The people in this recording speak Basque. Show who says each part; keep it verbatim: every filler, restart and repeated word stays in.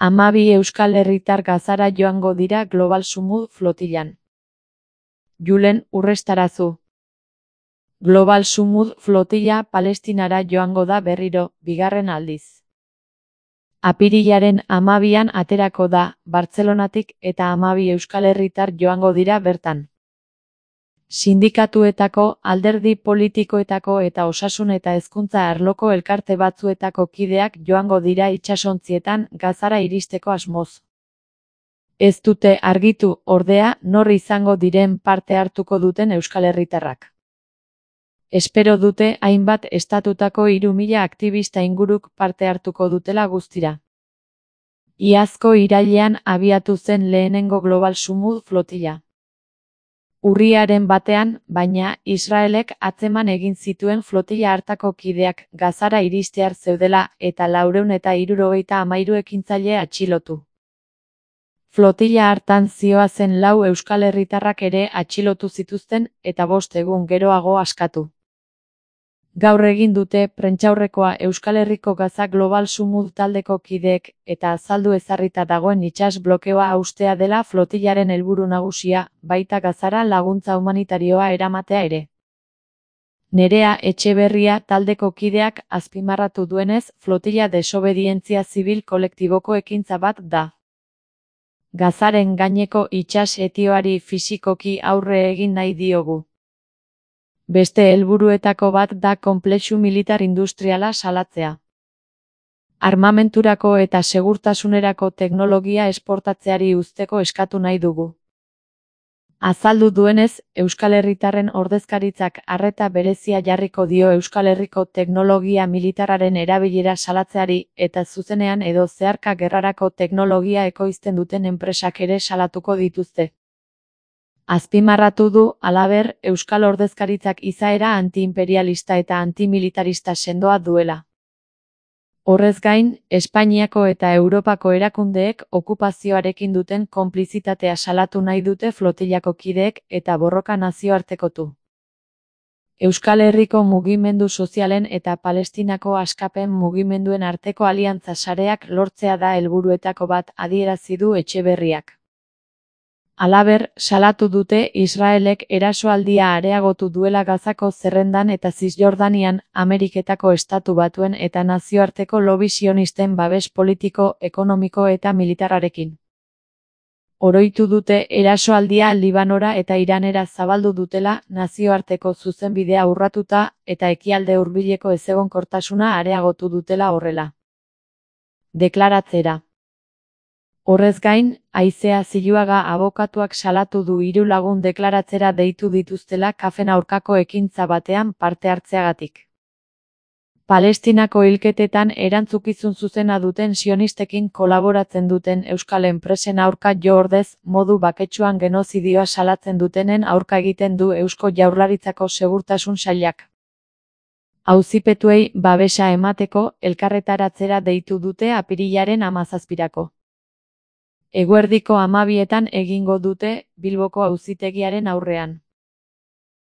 Speaker 1: Hamabi euskal herritar Gazara joango dira Global Sumud flotilan. Julen Urrestarazu. Global Sumud flotila Palestinara joango da berriro, bigarren aldiz. Apirilaren hamabian aterako da, Bartzelonatik eta hamabi euskal herritar joango dira bertan. Sindikatuetako, alderdi politikoetako eta osasun eta hezkuntza arloko elkarte batzuetako kideak joango dira itsasontzietan Gazara iristeko asmoz. Ez dute argitu, ordea, nor izango diren parte hartuko duten euskal herritarrak. Espero dute hainbat estatutako hiru mila aktibista inguruk parte hartuko dutela guztira. Iazko irailean abiatu zen lehenengo Global Sumud flotila. Urriaren batean, baina, Israelek atzeman egin zituen flotila hartako kideak Gazara iristear zeudela eta laurehun eta hirurogeita hamairu ekintzaile atxilotu. Flotila hartan zihoazen lau euskal herritarrak ere atxilotu zituzten eta bost egun geroago askatu. Gaur egin dute prentsaurrekoa Euskal Herriko Gaza Global Sumud taldeko kideek eta azaldu ezarrita dagoen itsas blokeoa haustea dela flotilaren helburu nagusia, baita Gazara laguntza humanitarioa eramatea ere. Nerea Etxeberria taldeko kideak azpimarratu duenez, flotila desobedientzia zibil kolektiboko ekintza bat da. Gazaren gaineko itsas etioari fisikoki aurre egin nahi diogu. Beste helburuetako bat da konplexu militar industriala salatzea. Armamenturako eta segurtasunerako teknologia esportatzeari uzteko eskatu nahi dugu. Azaldu duenez, Euskal Herritarren ordezkaritzak arreta berezia jarriko dio Euskal Herriko teknologia militarraren erabilera salatzeari eta zuzenean edo zeharka gerrarako teknologia ekoizten duten enpresak ere salatuko dituzte. Azpimarratu du, halaber, Euskal ordezkaritzak izaera antiimperialista eta antimilitarista sendoa duela. Horrez gain, Espainiako eta Europako erakundeek okupazioarekin duten konplizitatea salatu nahi dute flotilako kideek eta borroka nazioartekotu. Euskal Herriko mugimendu sozialen eta Palestinako askapen mugimenduen arteko aliantza sareak lortzea da helburuetako bat adierazi du Etxeberriak. Halaber, salatu dute Israelek erasoaldia areagotu duela Gazako zerrendan eta Zisjordanian, Ameriketako estatu batuen eta nazioarteko lobi sionisten babes politiko, ekonomiko eta militarrarekin. Oroitu dute erasoaldia Libanora eta Iranera zabaldu dutela nazioarteko zuzenbidea urratuta eta ekialde hurbileko ezegonkortasuna areagotu dutela horrela. Deklaratzera. Horrez gain, Aizea Ziluaga abokatuak salatu du hiru lagun deklaratzera deitu dituztela kafen aurkako ekintza batean parte hartzeagatik. Palestinako hilketetan erantzukizun zuzena duten sionistekin kolaboratzen duten euskal enpresen aurka jo ordez, modu baketsuan genozidioa salatzen dutenen aurka egiten du Eusko Jaurlaritzako Segurtasun Sailak. Auzipetuei babesa emateko elkarretaratzera deitu dute apirilaren hamazazpirako. Eguerdiko hamabietan egingo dute Bilboko auzitegiaren aurrean.